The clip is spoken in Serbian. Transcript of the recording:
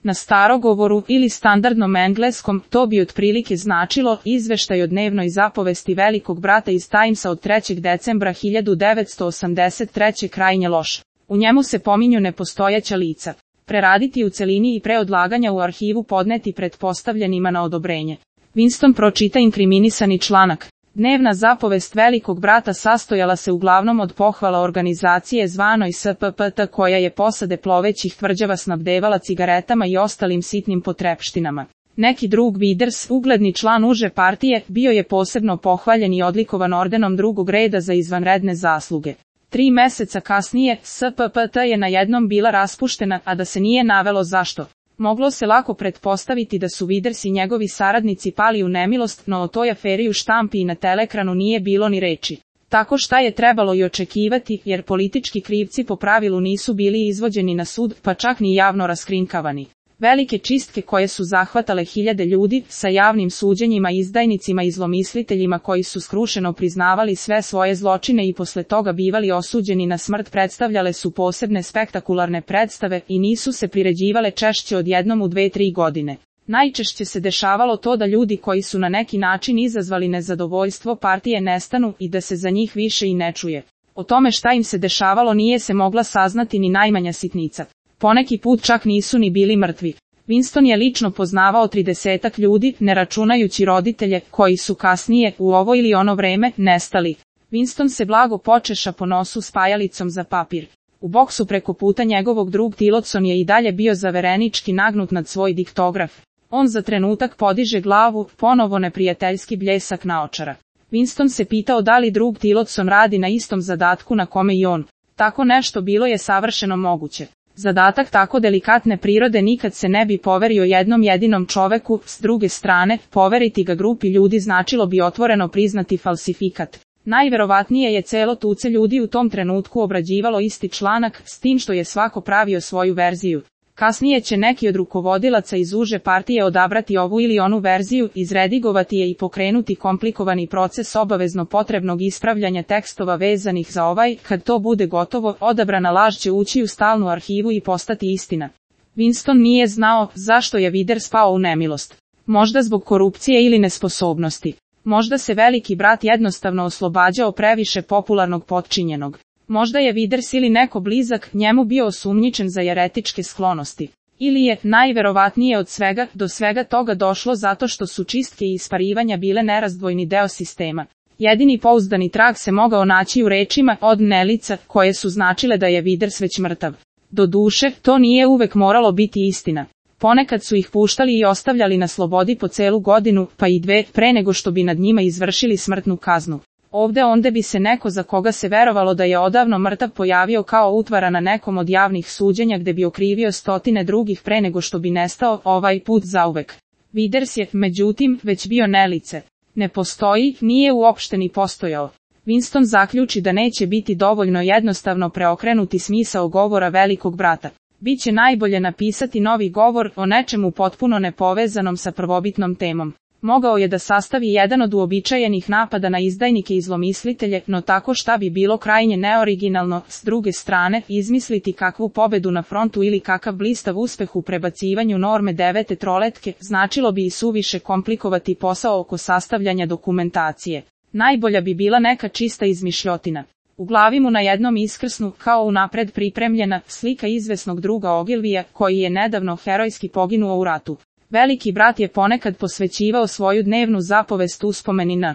Na starogovoru ili standardnom engleskom to bi otprilike značilo izveštaj o dnevnoj zapovesti Velikog brata iz Timesa od 3. decembra 1983. krajnje loš. U njemu se pominju nepostojeća lica. Preraditi u celini i pre odlaganja u arhivu podneti pretpostavljenima na odobrenje. Winston pročita inkriminisani članak. Dnevna zapovest Velikog brata sastojala se uglavnom od pohvala organizacije zvanoj SPPT koja je posade plovećih tvrđava snabdevala cigaretama i ostalim sitnim potrepštinama. Neki drug Widers, ugledni član uže partije, bio je posebno pohvaljen i odlikovan ordenom drugog reda za izvanredne zasluge. 3 meseca kasnije, SPPT je najednom bila raspuštena, a da se nije navelo zašto. Moglo se lako pretpostaviti da su Widers i njegovi saradnici pali u nemilost, no o toj aferi u štampi i na teleekranu nije bilo ni reči. Tako šta je trebalo i očekivati, jer politički krivci po pravilu nisu bili izvođeni na sud, pa čak ni javno raskrinkavani. Velike čistke koje su zahvatale hiljade ljudi, sa javnim suđenjima, izdajnicima i zlomisliteljima koji su skrušeno priznavali sve svoje zločine i posle toga bivali osuđeni na smrt, predstavljale su posebne spektakularne predstave i nisu se priređivale češće od jednom u 2-3 godine. Najčešće se dešavalo to da ljudi koji su na neki način izazvali nezadovoljstvo partije nestanu i da se za njih više i ne čuje. O tome šta im se dešavalo nije se mogla saznati ni najmanja sitnica. Poneki put čak nisu ni bili mrtvi. Winston je lično poznavao 30 ljudi, ne računajući roditelje, koji su kasnije, u ovo ili ono vreme, nestali. Winston se blago počeša po nosu spajalicom za papir. U boksu preko puta njegovog drug Tillotson je i dalje bio zaverenički nagnut nad svoj diktograf. On za trenutak podiže glavu, ponovo neprijateljski bljesak naočara. Winston se pitao da li drug Tillotson radi na istom zadatku na kome i on. Tako nešto bilo je savršeno moguće. Zadatak tako delikatne prirode nikad se ne bi poverio jednom jedinom čoveku, s druge strane, poveriti ga grupi ljudi značilo bi otvoreno priznati falsifikat. Najverovatnije je celo tuce ljudi u tom trenutku obrađivalo isti članak, s tim što je svako pravio svoju verziju. Kasnije će neki od rukovodilaca iz uže partije odabrati ovu ili onu verziju, izredigovati je i pokrenuti komplikovani proces obavezno potrebnog ispravljanja tekstova vezanih za ovaj, kad to bude gotovo, odabrana laž će ući u stalnu arhivu i postati istina. Winston nije znao zašto je Widers pao u nemilost. Možda zbog korupcije ili nesposobnosti. Možda se Veliki brat jednostavno oslobađao previše popularnog potčinjenog. Možda je Widers ili neko blizak njemu bio osumnjičen za jeretičke sklonosti. Ili je, najverovatnije od svega, do svega toga došlo zato što su čistke i isparivanja bile nerazdvojni deo sistema. Jedini pouzdani trag se mogao naći u rečima od Nelica, koje su značile da je Widers već mrtav. Doduše, to nije uvek moralo biti istina. Ponekad su ih puštali i ostavljali na slobodi po celu godinu, pa i 2, pre nego što bi nad njima izvršili smrtnu kaznu. Ovde onda bi se neko za koga se verovalo da je odavno mrtav pojavio kao utvara na nekom od javnih suđenja gde bi okrivio stotine drugih pre nego što bi nestao, ovaj put zauvek. Widers je, međutim, već bio Nelice. Ne postoji, nije uopšte ni postojao. Winston zaključi da neće biti dovoljno jednostavno preokrenuti smisao govora Velikog brata. Biće najbolje napisati novi govor o nečemu potpuno nepovezanom sa prvobitnom temom. Mogao je da sastavi jedan od uobičajenih napada na izdajnike i zlomislitelje, no tako šta bi bilo krajnje neoriginalno, s druge strane, izmisliti kakvu pobedu na frontu ili kakav blistav uspeh u prebacivanju norme 9. troletke, značilo bi i suviše komplikovati posao oko sastavljanja dokumentacije. Najbolja bi bila neka čista izmišljotina. U glavi mu na jednom iskrsnu, kao unapred pripremljena, slika izvesnog druga Ogilvija, koji je nedavno herojski poginuo u ratu. Veliki brat je ponekad posvećivao svoju dnevnu zapovest uspomeni na